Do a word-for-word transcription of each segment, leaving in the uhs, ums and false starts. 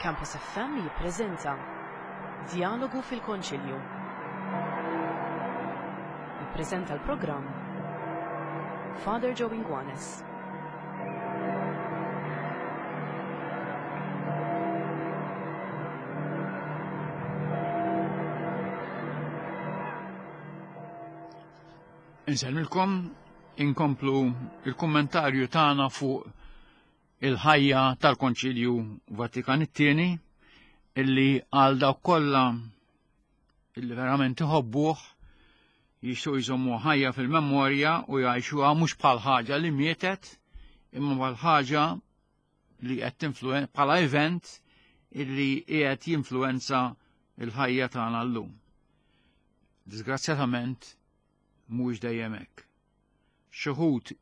Campus F M jippreżenta Djalogu fil-Konċilju. Jippreżenta l-programm Father Joe Inguanes. Insellmilkom, inkomplu il-kommentarju tagħna fuq il-ħajja tal-Konċilju Vatikan it-tieni, illi għal dawk kollha illi verament iħobbuh jixtiequ jżommu ħajja fil-memorja u jgħixuha mhux bħal ħaġa li mietet, imma bħal ħaġa li qed tinfluen-, bħala event illi qiegħed jinfluwenza l-ħajja tagħna llum. Disgrazzjatament mhuwiex dejjem hekk. Xi wħud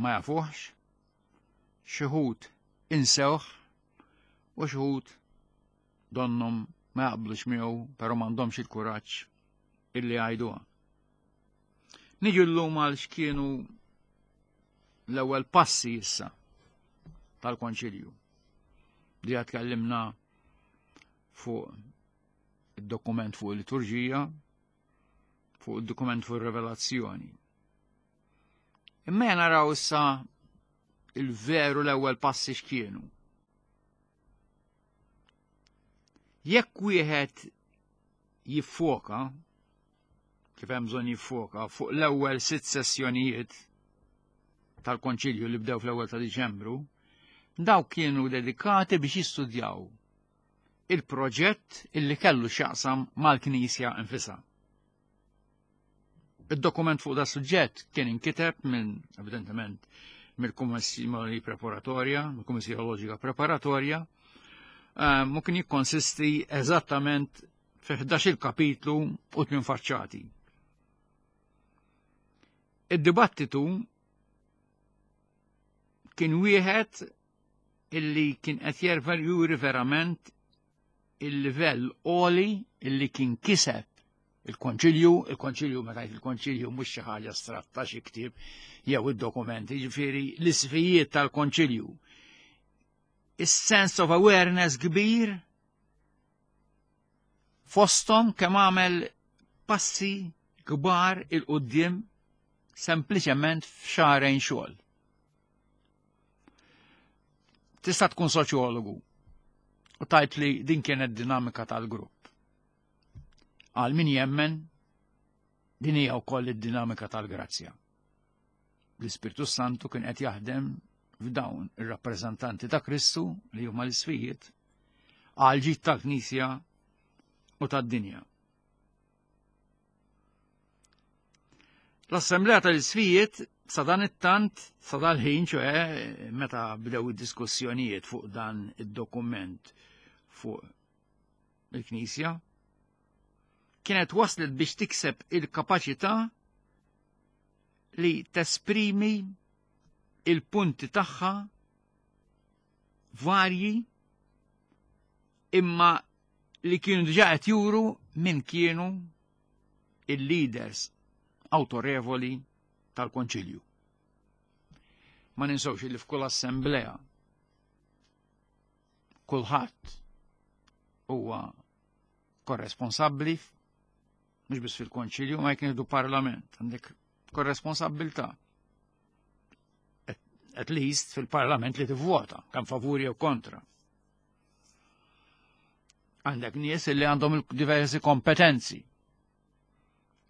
ma jafuhx, xi wħud insewh u xi wħud donnhom ma jaqblux miegħu, però m'għandhomx il-kuraġġ illi jgħiduha. Niġu llum għal x'kienu l-ewwel passi issa tal-Konċilju. Li tkellimna fuq id-dokument fuq il-liturġija, fuq id-dokument fuq ir-rivelazzjoni. Imma naraw issa il-veru l-ewwel passi x'kienu. Jekk wieħed jiffoka, kif hemm bżonn jiffoka, fuq l-ewwel sitt sessjonijiet tal-Konċilju li bdew fl-ewwel ta' Diċembru, dawk kienu dedikati biex jistudjaw il-proġett illi kellu x'jaqsam mal-Knisja infisha. Id-dokument fuq da suġġett kien inkiteb minn, evidentement, mill-Kummissjoni Preparatorja, mill-Kummissjoni Teoloġika Preparatorja, ehm, u kien jikkonsisti eżattament fi ħdax-il kapitlu u tmien faċċati. Id-dibattitu kien wieħed illi kien qed jerfer juri verament il-livell għoli illi kien kiseb il-Konċilju. Il-Konċilju, meta jgħid il-Konċilju, mhux xi ħaġa astratta, xi ktieb jew id-dokumenti, jiġifieri l-isfijiet tal-Konċilju. Is-sense of awareness kbir fosthom kemm għamel passi kbar il-quddiem sempliċement f'xahrejn xogħol. Tista' tkun soċjologu u tajt li din kienet dinamika tal-grupp. Għal min jemmen, din hija wkoll id-dinamika tal-grazzja. L-Ispirtu Santu kien qed jaħdem f'dawn ir-rappreżentanti ta' Kristu li huma l-isfijiet għal ġid tal-Knisja u tad-dinja. L-Assemblea tal-Isfijiet sa dan it-tant, sa dal-ħin, ċoħe meta bdew id-diskussjonijiet fuq dan id-dokument fuq il-Knisja, kienet waslet biex tikseb il-kapaċità li tesprimi il-punti tagħha varji imma li kienu diġà qed juru min kienu il-leaders autorevoli tal-Konċilju. Ma ninsewx li f'kull assemblea kulħadd huwa korresponsabbli, mhux biss fil-Konċilju, ma jekk nieħdu parlament, għandek korresponsabbiltà. At, at least fil-parlament li tivvota, kemm favuri jew kontra. Għandek nies li għandhom diversi kompetenzi.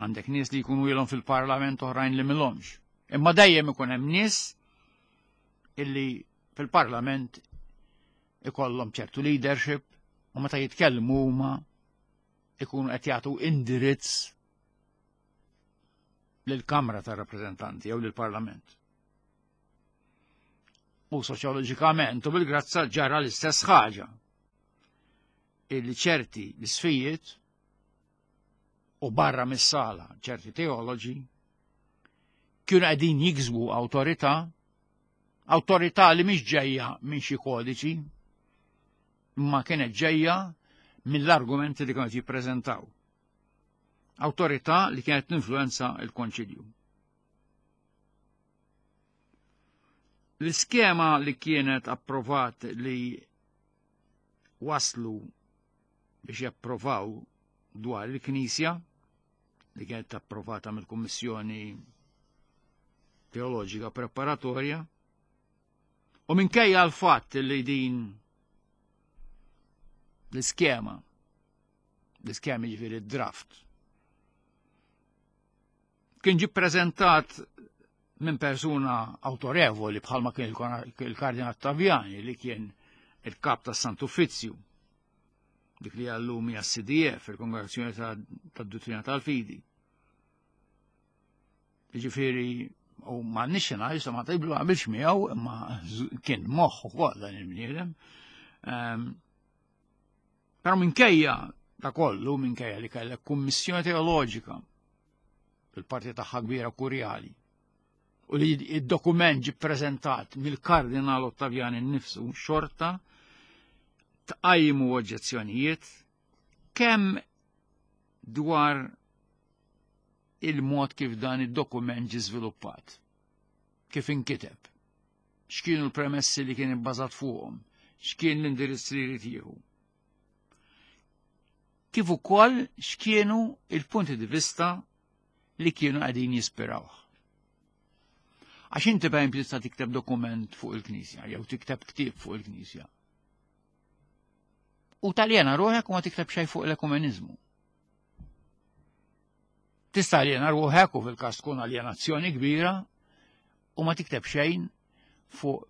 Għandek nies li jkunu ilhom fil-parlament oħrajn li milhomx. Imma dejjem ikun hemm nies illi fil-parlament ikollhom ċertu leadership u meta jitkellmu huma ikunu qed jagħtu indirizz lill-Kamra tar-Rappreżentanti jew lill-Parlament. U soċjoloġikament u bil-grazza ġara l-istess ħaġa. Illi ċerti l-isfijiet u barra mis-sala ċerti teoloġi kienu qegħdin jiksbu awtorità, awtorità li mhix ġejja minn xi kodiċi, imma kienet ġejja mill-argumenti li kienu jippreżentaw. Awtorità li kienet tinfluwenza l-Konċilju. L-iskema li kienet approvat li waslu biex japprovaw dwar il-Knisja li kienet approvata mill-Kummissjoni Teoloġika Preparatorja, u minkejja l-fatt li din l-iskema, l-iskema ġifieri draft, kien ġie ppreżentat minn persuna autorevoli bħalma kien il-Kardinal Ottaviani li kien il-kap tas Sant'Uffizzju, dik li għallum hija C D F, il-Kongregazzjoni tad-Duttrina tal-Fidi. Jiġifieri, u ma nixxi ngħid, ma tqiblu qabilx miegħu, imma kien moħħ ukoll dan il-bniedem. Ehm, però minkejja ta' kollu, minkejja li kellek kummissjoni teoloġika fil-parti tagħha kbira kurjali, u li id-dokument ġie ppreżentat mill-Kardinal Ottaviani nnifsu, xorta tqajmu oġġezzjonijiet kemm dwar il-mod kif dan id-dokument ġie żviluppat, kif inkiteb, x'kienu l-premessi li kien ibbażat fuqhom, x'kien l-indirizz li jrid jieħu. Kif ukoll x'kienu il-punti di vista li kienu qegħdin jispirawh. Għax inti per esempio tista' tikteb dokument fuq il-Knisja, jew tikteb ktieb fuq il-Knisja. U taljena ruħek u ma tikteb xejn fuq l-ekumeniżmu. Tista' aljena ruħek u fil-każ tkun aljenazzjoni kbira u ma tikteb xejn fuq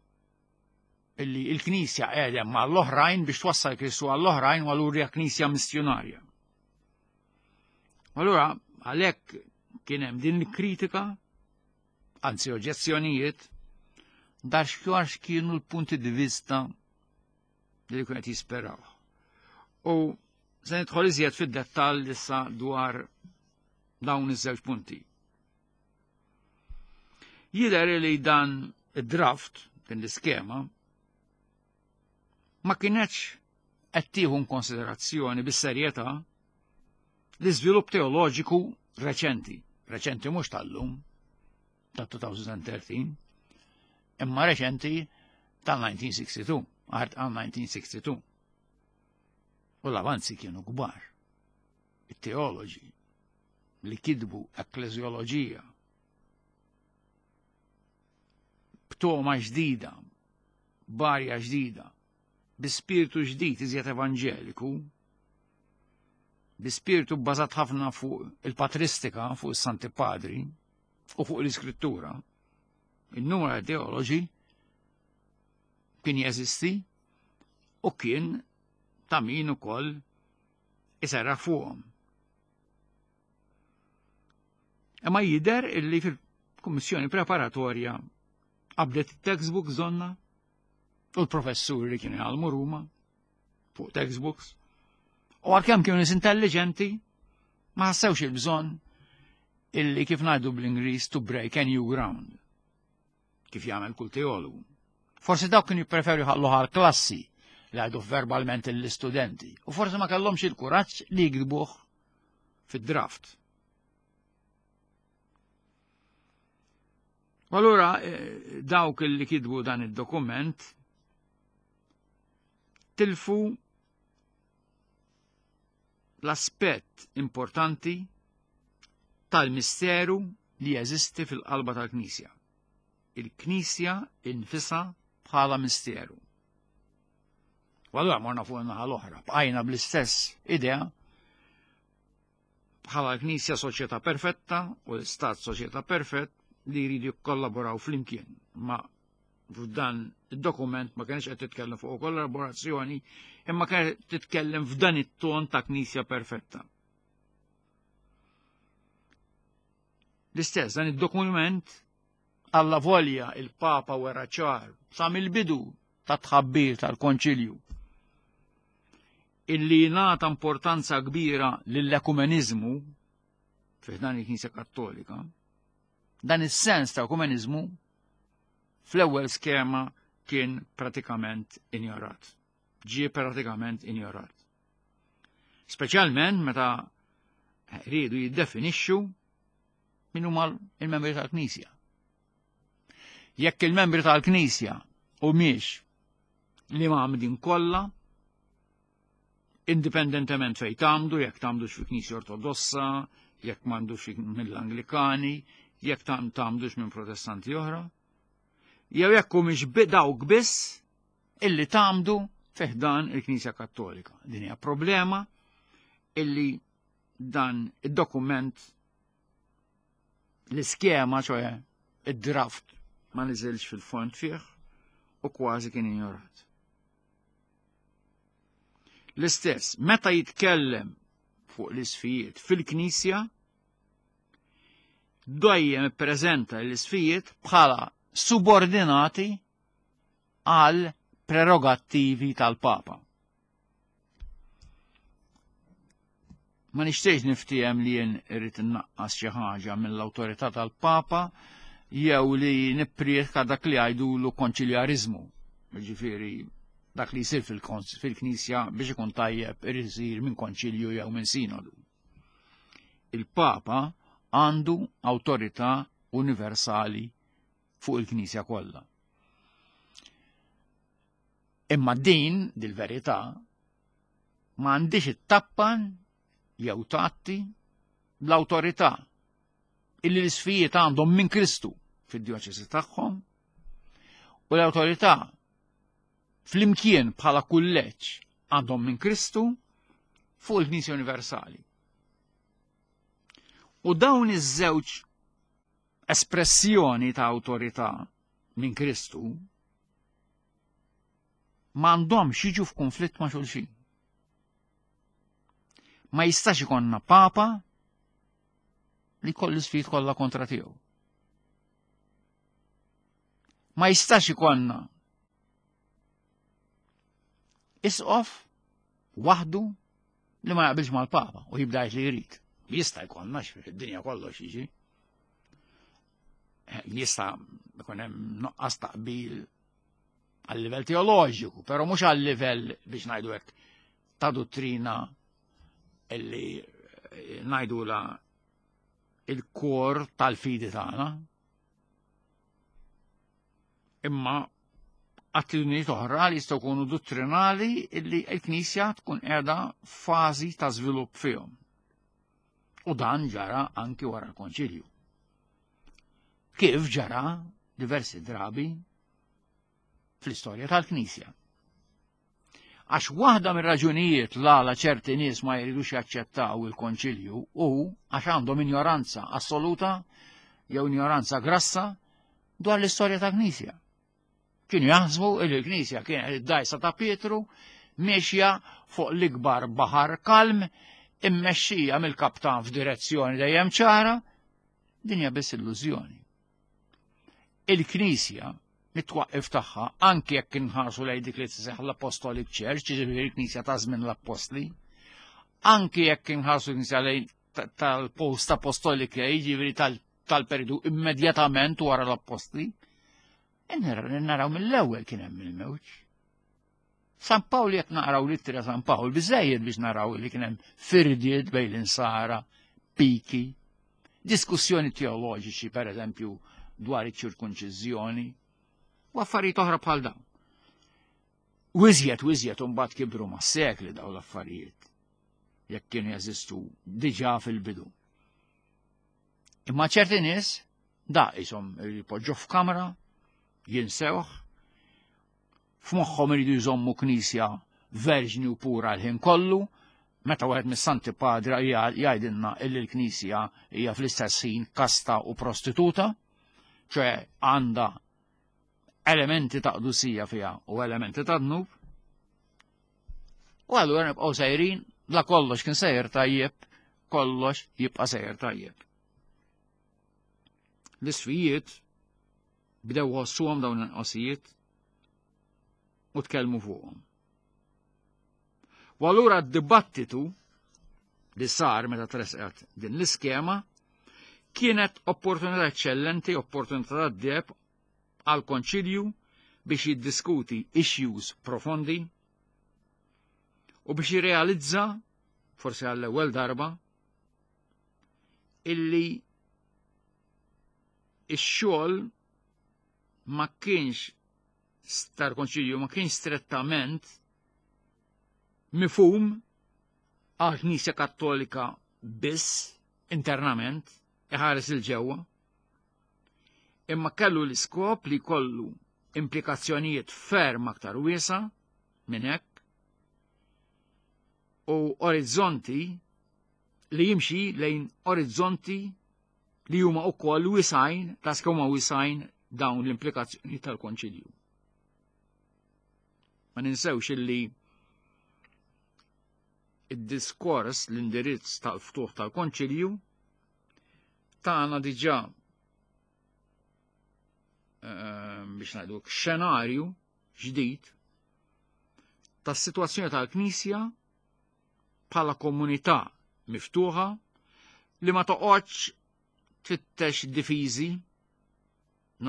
illi il-Knisja qiegħda mal-oħrajn biex twassal Kristu għall-oħrajn u allura hija Knisja missjonarja. Allura għalhekk kien hemm din il-kritika, anzi oġġezzjonijiet, dar x'għax kienu l-punti di vista li kienu qed jisperaw. U se nidħol iżjed fid-dettall issa dwar dawn iż-żewġ punti. Jidher li dan id-draft, din l-iskema, ma kienx qed tieħu konsiderazzjoni bis-serjetà l-iżvilupp teoloġiku reċenti, reċenti mhux tal-lum, ta' two thousand thirteen, imma reċenti tal-nineteen sixty-two, għal nineteen sixty-two. U l-avanzi kienu kbar. It-teoloġi li kitbu ekkleżjoloġija b'toma ġdida, b'arja ġdida, bi spiritu ġdid iżjed evanġeliku, bi spiritu bbażat ħafna fuq il-patristika, fuq is-Santi Padri u fuq l-Iskrittura, il-numru ta' teoloġi kien jeżisti u kien ta' min ukoll iserraħ fuqhom. Imma jidher illi fil-kummissjoni preparatorja qabdet it-textbooks donna u l-professuri li kienu jgħallmu Ruma fuq textbooks, u għalkemm kienu nies intelligenti ma ħassewx il-bżonn illi kif ngħidu bl-Ingliż to break a new ground, kif jagħmel kull teologu. Forsi dawk kienu jippreferu jħallu għal klassi li għajdu verbalment l-istudenti, u forsi ma kellhomx il-kuraġġ li jikdbuh fid-draft. U allura, eh, dawk li kitbu dan id-dokument tilfu l-aspett importanti tal-misteru li jeżisti fil-qalba tal-Knisja. Il-Knisja infisha bħala misteru. U allura morna fuq in-naħa l-oħra, bqajna bl-istess idea bħala l-Knisja soċjetà perfetta u l-Istat soċjetà perfett li jridu jikkollaboraw flimkien. Ma f'dan id-dokument ma kienx qed titkellem fuq kollaborazzjoni, imma kienet titkellem f'dan it-ton ta' Knisja perfetta. L-istess, dan id-dokument alla volja il-Papa wera ċar sa mill-bidu ta' tħabbir tal-Konċilju illi nata importanza kbira lill-ekumeniżmu fi dan il-Knisja Kattolika. Dan is-sens ta' ekumeniżmu fl-ewwel skema kien pratikament injorat. Ġie pratikament injorat. Speċjalment meta riedu jiddefinixxu min huma il-membri tal-Knisja. Jekk il-membri tal-Knisja humiex li ma' din kollha, Indipendentement fejn tgħammdu, jekk tgħammdux fi Knisja Ortodossa, jekk tgħammdux mill-Anglikani, jekk tgħammdux minn Protestanti oħra, jew jekk humiex dawk biss illi tgħammdu fi ħdan il-Knisja Kattolika. Din hija problema illi dan id-dokument, l-iskema, ċoè id-draft, ma niżilx fil-fond fih u kważi kien ignorat. L-istess, meta jitkellem fuq l-isqfijiet fil-Knisja, dejjem ippreżenta l-isqfijiet bħala subordinati għal prerogattivi tal-Papa. Ma nixtiex niftiehem li jien irrid innaqqas xi ħaġa mill-awtorità tal-Papa jew li nipprietka dak li jgħidulu konċiljariżmu. Jiġifieri dak li jsir fil-Knisja biex ikun tajjeb irid isir minn konċilju jew minn sinodu. Il-Papa għandu awtorità universali fuq il-Knisja kollha. Imma din, dil-verità, ma għandix it-tappan jew tatti l-awtorità illi l-isqfijiet għandhom minn Kristu fid-djoċesi tagħhom u l-awtorità flimkien bħala kulleġġ għandhom minn Kristu fuq il-Knisja Universali. U dawn iż-żewġ espressjoni ta' awtorità minn Kristu m'għandhomx jiġu f'konflitt ma' xulxin. Ma jistax ikonna Papa li kollu sfid kollha kontra tiegħu. Ma jistax ikonna isqof waħdu li ma jaqbilx mal-Papa u jibda jgħid li jrid. Jista' jkollna fid-dinja kollox jiġi. Jista' jkun hemm nuqqas taqbil għal livell teoloġiku, però mhux għal livell biex ngħidu hekk ta' dottrina illi ngħidula il-kor tal-fidi tagħna. Imma attitudnijiet oħra li jistgħu jkunu dottrinali illi l-Knisja tkun qiegħda f'fażi ta' żvilupp fihom. U dan ġara anki wara l-Konċilju. Kif ġara diversi drabi fl-istorja tal-Knisja. Għax waħda mir-raġunijiet l-għala ċerti nies ma jridux jaċċettaw il-Konċilju hu għax għandhom ignoranza assoluta jew ignoranza grassa dwar l-istorja tal-Knisja. Kienu jaħsbu li l-Knisja kienet id-dajsa ta' Pietru miexja fuq l-ikbar baħar kalm immexxija mill-kaptan f'direzzjoni dejjem ċara, din hija biss illużjoni. Il-Knisja mit-twaqqif tagħha, anke jekk inħarsu lejn dik li tseħħ l-Apostolic Church, jiġifieri l-Knisja ta' żmien l-Appostli, anke jekk inħarsu l-Knisja lejn tal-Post Apostolic Age, jiġifieri tal-periodu immedjatament wara l-Appostli, naraw mill-ewwel kien hemm il-mewġ. San Pawl jekk naqraw l-ittra San Pawl biżejjed biex naraw li kien hemm firdiet bejn l-insara, piki, diskussjoni teoloġiċi pereżempju dwar iċ-ċirkunċiżjoni u affarijiet oħra bħal dawn. Wiżjed wiżjed imbagħad kibru mas-sekli dawn l-affarijiet jekk kienu jeżistu diġà fil-bidu. Imma ċerti nies da qishom jpoġġu f'kamra, jinsewh, f'moħħhom iridu jżommu knisja verġni u pura l-ħin kollu, meta wieħed mis-Santi Padra jgħidilna illi l-knisja hija fl-istess ħin kasta u prostituta, ċoè għandha elementi ta' qdusija fiha u elementi ta' dnub. U allura nibqgħu sejrin, la kollox kien sejjer tajjeb, kollox jibqa' sejjer tajjeb. L-isqfijiet bdew ħossuhom dawn il-qosijiet u tkellmu fuqhom. U allura d-dibattitu li sar meta tresqet din l-iskema kienet opportunità eccellenti, opportunità tad-deheb għal konċilju biex jiddiskuti issues profondi u biex jirrealizza, forsi għall-ewwel darba, illi ix-xogħol ma kienx tal-konċilju ma kienx strettament mifhum għall-Knisja Kattolika biss internament iħares il-ġewwa, imma kellu l-iskop li kollu implikazzjonijiet ferm aktar wiesa minn hekk u orizzonti li jimxi lejn orizzonti li huma wkoll wisajn ta' huma wisajn dawn l-implikazzjoni tal-Konċilju. Ma ninsewx illi id-diskors l-indirizz tal-ftuħ tal-Konċilju tagħna diġà biex ngħidu xenarju ġdid tas-sitwazzjoni tal-Knisja bħala komunità miftuħa li ma toqgħodx tfittex difiżi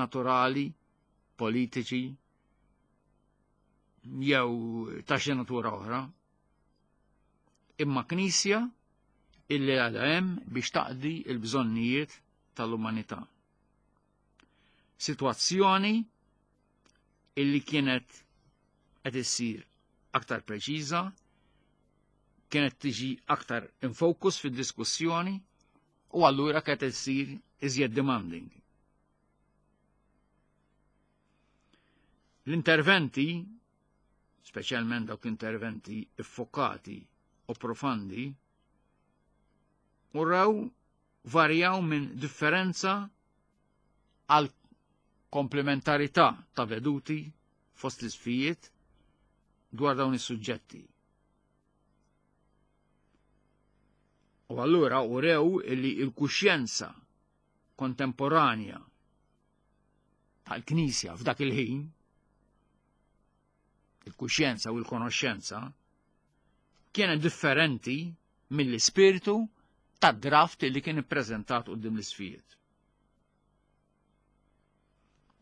naturali, politiċi jew ta' xi natura oħra. Imma Knisja illi għadha hemm biex taqdi l-bżonnijiet tal-umanità. Sitwazzjoni illi kienet qed issir aktar preċiża, kienet tiġi aktar in focus fid-diskussjoni u allura kienet issir iżjed demanding. L-interventi, speċjalment dawk l-interventi iffokati u profandi, uraw varjaw minn differenza għal komplementarità ta' veduti fost l-isfijiet dwar dawn is-suġġetti. U allura urew illi il-kuxjenza kontemporanja tal-Knisja f'dak il-ħin, il-kuxjenza u l-konoxxenza, kienet differenti mill-ispirtu tad-draft li kien ippreżentat quddiem l-isfijiet.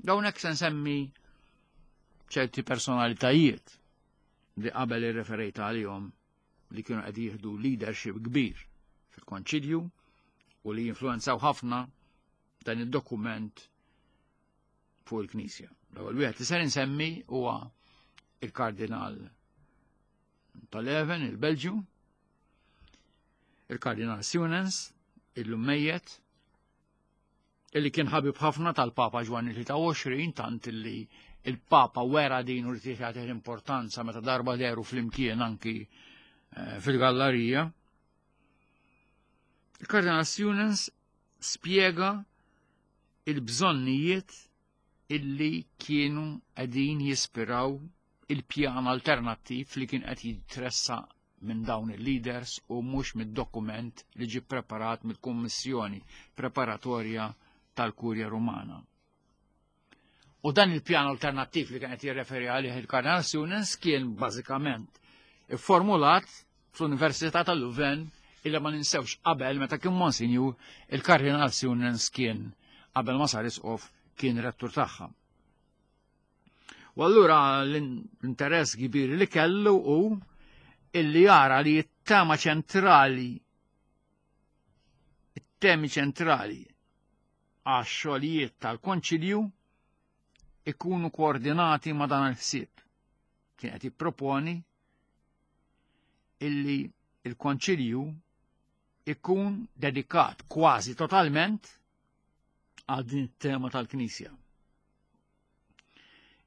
Dawn hekk se nsemmi ċerti personalitajiet li qabel irreferejt għalihom li kienu qed jieħdu leadership kbir fil-Konċilju u li jinfluenzaw ħafna dan id-dokument fuq il-Knisja. L-ewwel wieħed li ser insemmi huwa il-Kardinal tal-Leven, il-Belġju, il-Kardinal Suenens, illum mejjet, illi kien ħabib ħafna tal-Papa Ġwanni tlieta u għoxrin, tant illi il-Papa wera din u li jagħtih l-importanza meta darba deru flimkien anki fil-gallerija. Il-Kardinal Suenens spjega il-bżonnijiet illi kienu qegħdin jispiraw il-pjan alternattiv li kien qed jitressa minn dawn il-leaders u mhux mid-dokument li ġie preparat mill-Kummissjoni Preparatorja tal-Kurja Rumana. U dan il-pjan alternattiv li kien qed jirreferi għalih il-Kardinal Suenens kien bażikament ifformulat fl-Università tal-Louvain, illa ma ninsewx qabel meta kien Monsinjur il-Kardinal Suenens kien qabel ma sar isqof kien rettur tagħha. U allura l-interess kbir li kellu hu illi jara li t-tema ċentrali, it-temi ċentrali għax-xogħlijiet tal-Konċilju ikunu koordinati ma' dan il-ħsieb. Kien qed jipproponi illi il-Konċilju ikun dedikat kważi totalment għal din it-tema tal-Knisja,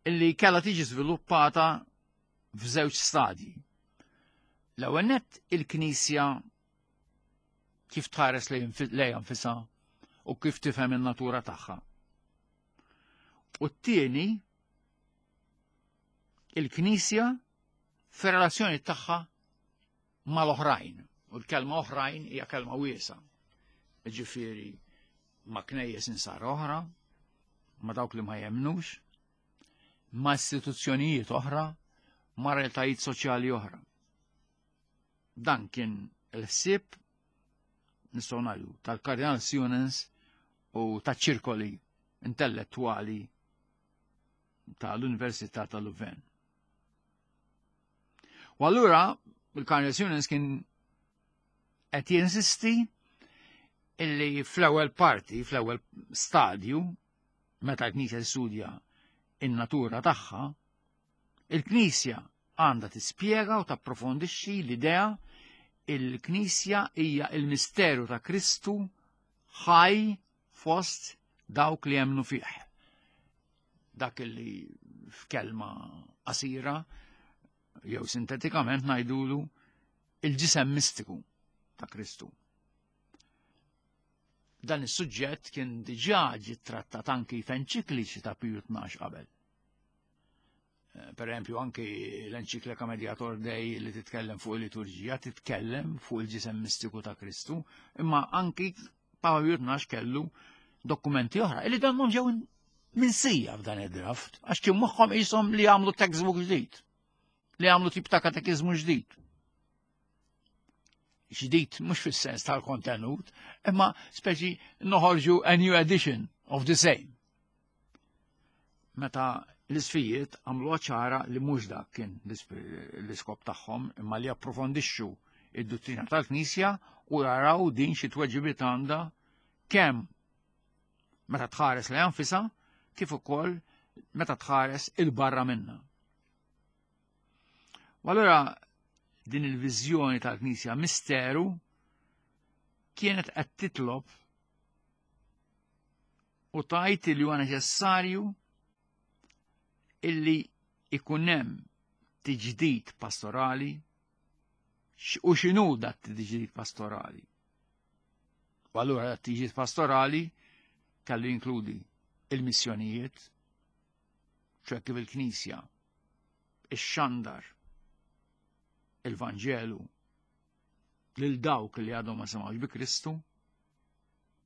illi kellha tiġi żviluppata f'żewġ stadji. L-ewwel nett il-Knisja kif tħares lejha nfisha u kif tifhem in-natura tagħha. U t-tieni il-Knisja fir-relazzjoni tagħha mal-oħrajn. U l-kelma oħrajn hija kelma wiesa. Ġifieri ma' knejjes insara oħra, ma' dawk li ma jemnux, ma' istituzzjonijiet oħra, ma' realtajiet soċjali oħra. Dan kien il-ħsieb nistgħu ngħidu tal-Kardinal Suenens u taċ-ċirkoli intellettwali tal-Università tal-Louvain. U allura il-Kardinal Suenens kien qed jinsisti illi fl-ewwel parti, fl-ewwel stadju, meta l-Knisja tistudja in-natura tagħha, il-Knisja għandha tispjega u tapprofondixxi l-idea Il-Knisja hija il-misteru ta' Kristu ħaj fost dawk li jemmnu fih. Dak li f'kelma qasira jew sintetikament ngħidulu il-ġisem mistiku ta' Kristu. Dan is-suġġett kien diġà ġie trattat anki f'enċikliċi ta' Piju Tnax qabel. Per eżempju, anki l-enċiklika Mediator Dei li titkellem fuq il-liturġija, titkellem fuq il-ġisem mistiku ta' Kristu, imma anki Papa Piju Tnax kellu dokumenti oħra, illi dan ġew minsija f'dan id-draft, għax kien moħħhom qishom li għamlu textbook ġdid, li għamlu tip ta' katekiżmu ġdid. Ġdid mhux fis-sens tal-kontenut, imma speċi noħorġu a new edition of the same. Meta l-isqfijiet għamlu ċara li mhux dak kien l-iskop tagħhom, imma li approfondixxu id-dottrina tal-Knisja u jaraw din xi tweġibiet għandha kemm meta tħares lejha nfisha kif ukoll meta tħares 'il barra minna. U allura din il-viżjoni tal-Knisja misteru kienet qed titlob u tgħid li huwa neċessarju illi ikun hemm tiġdid pastorali. U x'inhu dat tiġdid pastorali? U allura dat tiġdid pastorali kellu jinkludi il-missjonijiet, ċoè kif il-Knisja ixxandar il-Vanġelu lil dawk li għadhom ma semgħux bi Kristu,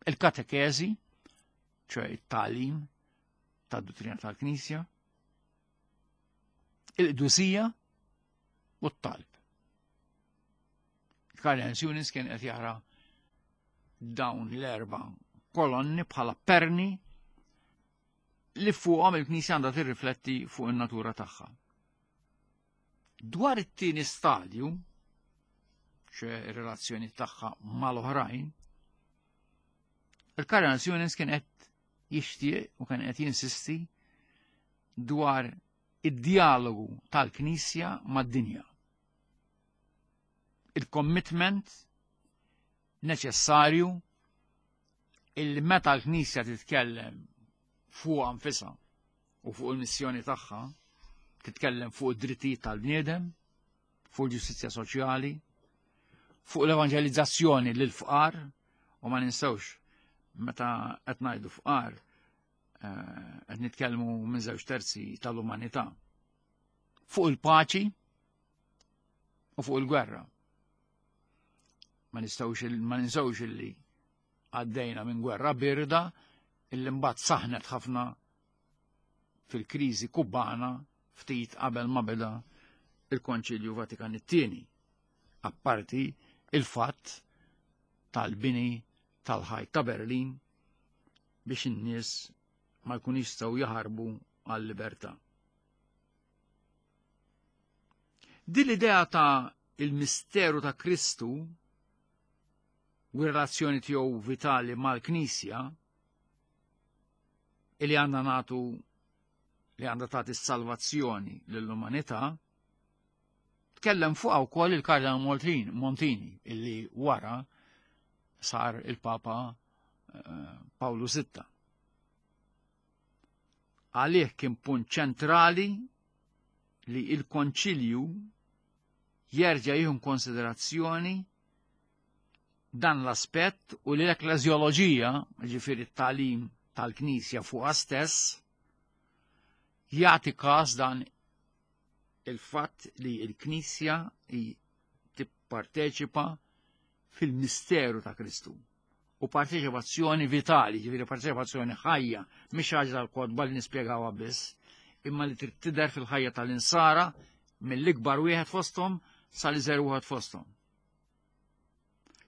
il-katekeżi, ċoè it-tagħlim tad-dottrina tal-Knisja, il-qdusija u t-talb. Karl Sunis kien qed jara dawn l-erba' kolonni bħala perni li fuqhom il-Knisja għandha tirrifletti fuq in-natura tagħha. Dwar it-tieni stadju, ċoè ir-relazzjoni tagħha mal-oħrajn, il-Kardinal Suenens kien qed jixtieq u kien qed jinsisti dwar id-dialogu tal-Knisja mad-dinja. Il-commitment neċessarju illi meta l-Knisja titkellem fuq nfisha u fuq il-missjoni tagħha, titkellem fuq id-drittijiet tal-bniedem, fuq il-ġustizzja soċjali, fuq l-evanġelizzazzjoni lil fqar, u ma ninsewx meta qed ngħidu fqar qed nitkellmu minn żewġ terzi tal-umanità, fuq il-paċi u fuq il-gwerra. Ma nistgħux ma ninsewx illi għaddejna minn gwerra birda illi mbagħad saħnet ħafna fil-kriżi Kubana ftit qabel ma beda il-Konċilju Vatikan it-tieni. Apparti il-fatt tal-bini tal-ħajt ta' Berlin biex in-nies ma jkun jistgħu jaħarbu għal-libertà. Din l-idea ta' il-misteru ta' Kristu u r-relazzjoni tiegħu vitali mal-Knisja illi għandna nagħtu li għandha tagħti s-salvazzjoni lill-umanità, tkellem fuqha wkoll il-Kardinal Montini illi wara sar il-Papa Pawlu Sitta. Għalih kien punt ċentrali li il-Konċilju jerġa' jieħu konsiderazzjoni dan l-aspett u li l-ekleżjoloġija, ġifieri t-tagħlim tal-Knisja fuqha stess, jagħti każ dan il-fatt li l-Knisja tipparteċipa fil-misteru ta' Kristu. U parteċipazzjoni vitali, ġifieri parteċipazzjoni ħajja, mhix ħaġa tal-kotba li nispjegawha biss, imma li trid tidher fil-ħajja tal-insara mill-ikbar wieħed fosthom sal-iżgħar wieħed fosthom.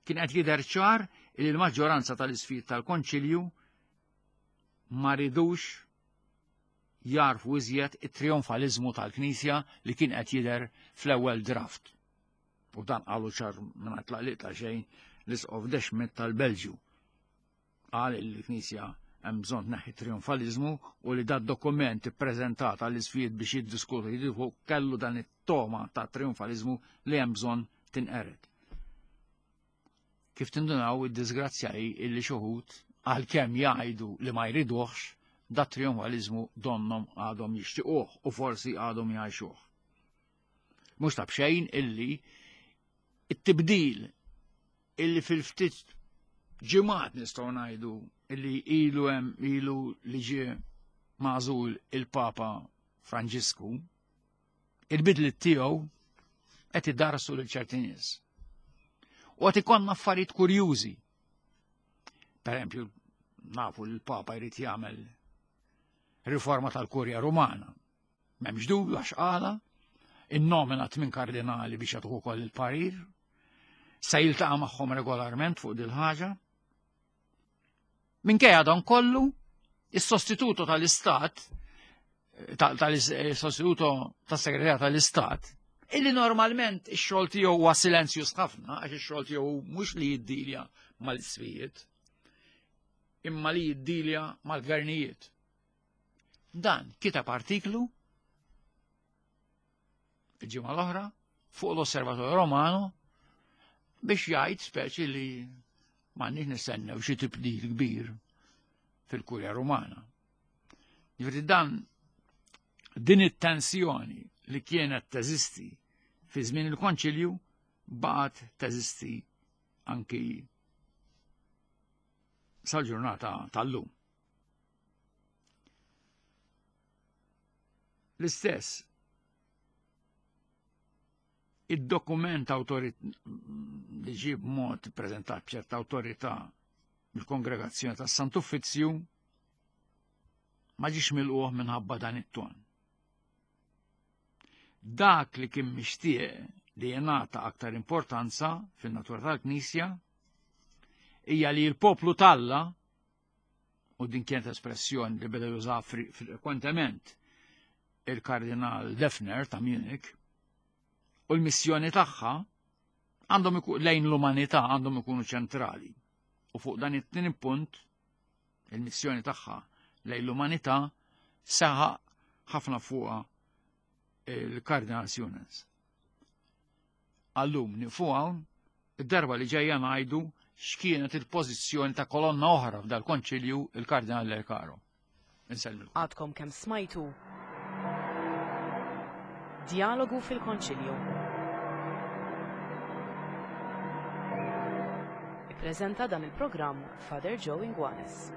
Kien qed jidher ċar li l-maġġoranza tal-isqfijiet tal-Konċilju ma ridux jarfu iżjed it-trionfalizmu tal-Knisja li kien qed jidher fl-ewwel draft. U dan qalu ċar mingħajr tlaqliq ta' xejn l-Isqof De Smedt tal-Belġju. Qal li l-Knisja hemm bżonn tneħħi trionfalizmu u li dat dokument ippreżentat għall-isqfijiet biex jiddiskutu jidħu kellu dan it-toma ta' trionfalizmu li hemm bżonn tinqered. Kif tindunaw, id-disgrazzja hi illi xi wħud, għalkemm jgħidu li ma jriduhx, dat trionfalizmu donnom għadhom jixtiquh u forsi għadhom jgħixuh. Mhux ta' bxejn illi it-tibdil illi fil-ftit ġimgħat nistgħu ngħidu illi ilu hemm ilu li ġie magħżul il-Papa Franġisku, il-bidliet tiegħu qed idarsu lil ċerti nies. U qed ikollna affarijiet kurjużi. Per eżempju, nafu li l-Papa jrid jagħmel riforma tal-Kurja Rumana. M'hemmx dubju għax qala, innomina tmien kardinali biex jagħtuh ukoll il-parir, se jiltaqa' magħhom regolarment fuq dil-ħaġa. Minkejja dan kollu, is-sostituto tal-Istat, tal-sostituto tas-Segretarja tal-Istat, illi normalment ix-xogħol tiegħu huwa silenzjuż ħafna, għax ix-xogħol tiegħu mhux li jiddilja mal-isfijiet, imma li jiddilja mal-gvernijiet. Dan kiteb artiklu il-ġimgħa l-oħra fuq l-Osservatorju Romano biex jgħid speċi li m'għandniex nistennew xi tibdil kbir fil-Kurja Rumana. Ġifieri dan din it-tensjoni li kienet teżisti fi żmien il-Konċilju baqgħet teżisti anki sal-ġurnata tal-lum. L-istess id-dokument li ġie b'mod preżentat b'ċerta awtorità mill-Kongregazzjoni tas-Sant'Uffizzju ma ġiex milquh minħabba dan it-ton. Dak li kien mixtieq li jingħata aktar importanza fin-natura tal-Knisja hija li l-poplu t'Alla, u din kienet espressjoni li beda juża frekwentement il-Kardinal Defner ta' Munich, u l-missjoni tagħha għandhom lejn l-umanità għandhom ikunu ċentrali. U fuq dan it-tieni punt, il-missjoni tagħha lejn l-umanità saħaq ħafna fuqha il-Kardinal Suenens. Għallum nifu hawn, id-darba li ġejja ngħidu x'kienet il-pożizzjoni ta' kolonna oħra f'dal konċilju, il-Kardinal Lercaro. Insellmilkom. Għadkom kemm smajtu Djalogu fil-Konċilju. Ippreżenta dan il-programm Father Joe Inguanes.